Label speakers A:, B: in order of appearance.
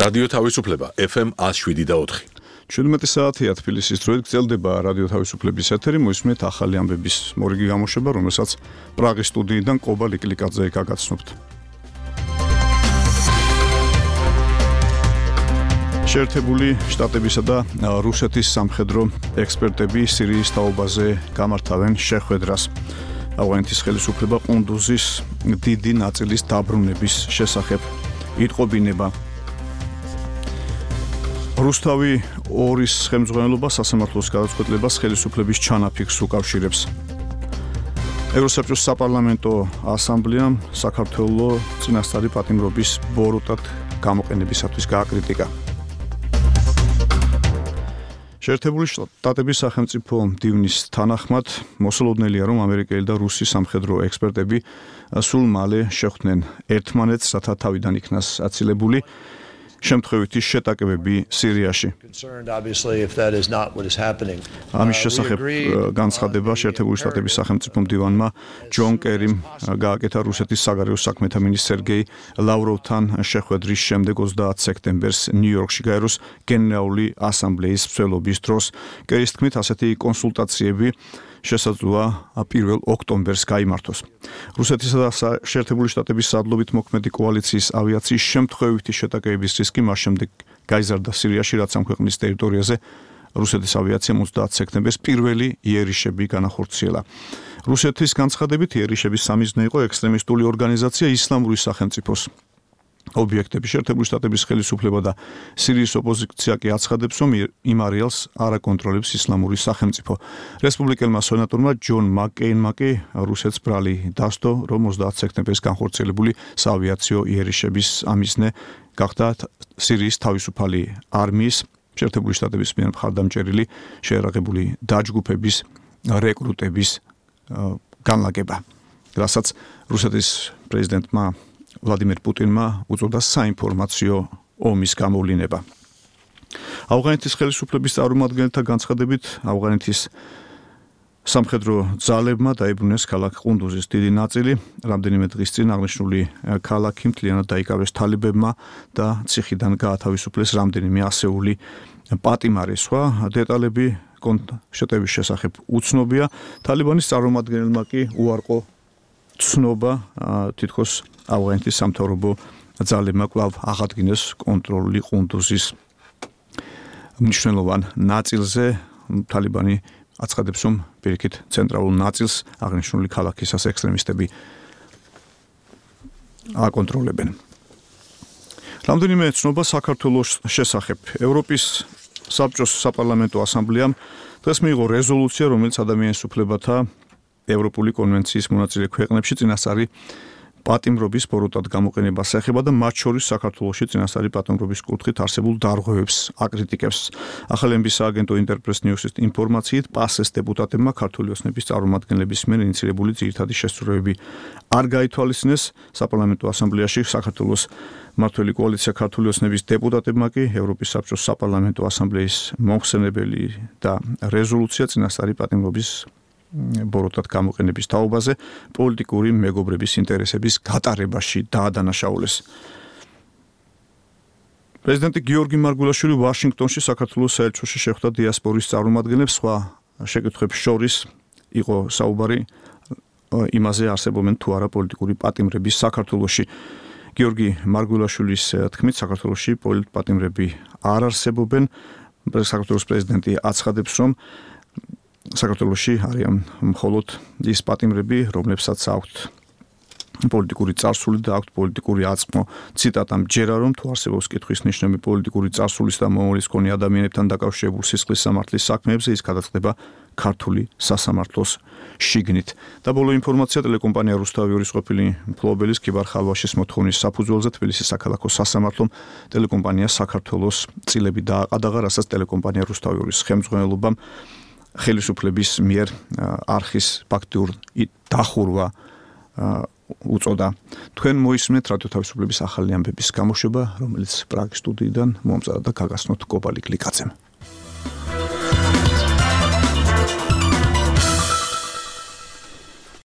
A: რადიო თავისუფლება FM 107.4.
B: 17 საათია თბილისის დროით გრძელდება რადიო თავისუფლების ეთერი, მოისმენთ ახალი ამბების მორიგი გამოშვება, რომელსაც პრაღის სტუდიიდან ყობა ლიკლიკაძე გაგაცნობთ. შეერთებული შტატებისა და რუსეთის სამხედრო ექსპერტები სირიის თაობაზე გამართავენ შეხვედრას. ავღანეთის ხელისუფლება ყუნდუზის დიდი ნაწილის დაბრუნების შესახებ იტყობინება. რუსთავი 2-ის ხელმძღვანელობა სასამართლოს გადაწყვეტილებას ხელისუფლების ჩანაფიქრს უკავშირებს. ევროსაბჭოს საპარლამენტო ასამბლეამ საქართველოს წინასწარი პატიმრობის ბოროტად გამოყენებისათვის გააკრიტიკა. შეერთებული შტატების სახელმწიფო მდივნის თანახმად მოსალოდნელია, რომ ამერიკელი და რუსი სამხედრო ექსპერტები სულ მალე შეხვდნენ ერთმანეთს, რათა თავიდან იქნას აცილებული შემთხვევითი შეტაკებები სირიაში. ამის შესახებ განცხადება შეერთებული შტატების სახელმწიფო მდივანმა ჯონ კერიმ გააკეთა რუსეთის საგარეო საქმეთა მინისტრ სერგეი ლავროვთან შეხვედრის შემდეგ 30 სექტემბერს ნიუ-იორკში გაეროს გენერალური ასამბლეის მსვლელობის დროს. კერის თქმით, ასეთი კონსულტაციები შესაძლოა 1 ოქტომბერს გაიმართოს. რუსეთისა და შეერთებული შტატების სადლობით მოქმედი კოალიციის ავიაციის შემთხვევითი შეტაკებების რისკი მას შემდეგ გაიზარდა სირიაში, რაც ამ ქვეყნის ტერიტორიაზე რუსეთის ავიაციამ 30 სექტემბერს პირველი იერიშები განახორციელა. რუსეთის განცხადებით იერიშების სამიზნე იყო ექსტრემისტული ორგანიზაცია ისლამური სახელმწიფოს ობიექტები. შეერთებული შტატების ხელისუფლება და სირიის ოპოზიცია კი აცხადებს, რომ იმ არეალს არ აკონტროლებს ისლამური სახელმწიფო. რესპუბლიკელმა სენატორმა ჯონ მაკკეინმა კი რუსეთს ბრალი დასდო, რომ 30 სექტემბერს განხორციელებული საავიაციო იერიშების ამიზნე გახდა სირიის თავისუფალი არმიის შეერთებული შტატების მიერ მხარდამჭერილი შეერაღებული დაჯგუფების რეკრუტების განლაგება, რასაც რუსეთის პრეზიდენტმა ვლადიმერ პუტინმა უწოდა საინფორმაციო ომის გამოვლინება. ავღანეთის ხელისუფლების წარმომადგენელთა განცხადებით, ავღანეთის სამხედრო ძალებმა დაიბრუნეს ქალაქ ყუნდუზის დიდი ნაწილი. რამდენიმე დღის წინ აღნიშნული ქალაქი მთლიანად დაიკავეს თალიბებმა და ციხიდან გაათავისუფლეს რამდენიმე ასეული პატიმარი. სხვა დეტალები შეტევის შესახებ უცნობია. თალიბანის წარმომადგენელმა კი უარყო ცნობა თითქოს ავღანეთის სამთავრობო ძალებმა კვლავ აღადგინეს კონტროლი ყუნდუზის მნიშვნელოვან ნაწილზე. თალიბანი აცხადებს, რომ პირიქით ცენტრალურ ნაწილს აღნიშნული ქალაქისას ექსტრემისტები აკონტროლებენ. რამდენიმე ცნობა საქართველოს შესახებ. ევროპის საბჭოს საპარლამენტო ასამბლეამ დღეს მიიღო რეზოლუცია, რომელიც ადამიანის უფლებათა ევროპული კონვენციის მონაწილე ქვეყნებში წინასწარი პატიმრობის ბოროტად გამოყენებას ეხება და მათ შორის საქართველოში წინასწარი პატიმრობის კუთხით არსებულ დარღვევებს აკრიტიკებს. ახალი ემბის სააგენტო ინტერპრეს ნიუსის ინფორმაციით, პასეს დეპუტატებმა ქართული ოცნების წარმომადგენლების მიერ ინიციირებული ძირითადი შესწორებები არ გაითვალისწინეს. საპარლამენტო ასამბლეაში საქართველოს მმართველი კოალიცია ქართული ოცნების დეპუტატებმა კი ევროპის საბჭოს საპარლამენტო ასამბლეის მომხსენებელი და რეზოლუცია წინასწარი პატიმრობის ბოროტად გამოყენების თაობაზე პოლიტიკური მეგობრების ინტერესების გატარებაში დაადანაშაულეს. პრეზიდენტი გიორგი მარგულაშვილი ვაშინგტონში საქართველოს საელჩოში შეხვდა დიასპორის წარმომადგენლებს. სხვა შეკითხვებს შორის იყო საუბარი იმაზე, არსებობენ თუ არა პოლიტიკური პატიმრები საქართველოში. გიორგი მარგულაშვილის თქმით, საქართველოში პოლიტპატიმრები არ არსებობენ. საქართველოს პრეზიდენტი აცხადებს, რომ საქართველოში არიან მხოლოდ ის პატიმრები, რომლებსაც აქვთ პოლიტიკური წარსული და აქვთ პოლიტიკური აწმყო. ციტატა მჯერა, რომ თუ არსებობს კითხვის ნიშნები პოლიტიკური წარსულის და მომავლის მქონე ადამიანებთან დაკავშირებულ სისხლის სამართლის საქმეებზე, ის გადაწყდება ქართული სასამართლოს შიგნით. და ბოლო ინფორმაცია, ტელეკომპანია რუსთავი 2-ის ყოფილი მფლობელის ქიბარ ხალვაშის მოთხოვნის საფუძველზე თბილისის საქალაქო სასამართლომ ტელეკომპანიას საქართველოს წილები დააყადაღა, რასაც ტელეკომპანია რუსთავი 2-ის ხელმძღვანელობამ ხელისუფლების მიერ არხის ფაქტიურ დახურვა უწოდა. თქვენ მოისმენთ რადიო თავისუფლების ახალი ამბების გამოშვება, რომელიც პრაღის სტუდიიდან მომწადდა და გაგაცნოთ კობა ლიკლიკაძემ.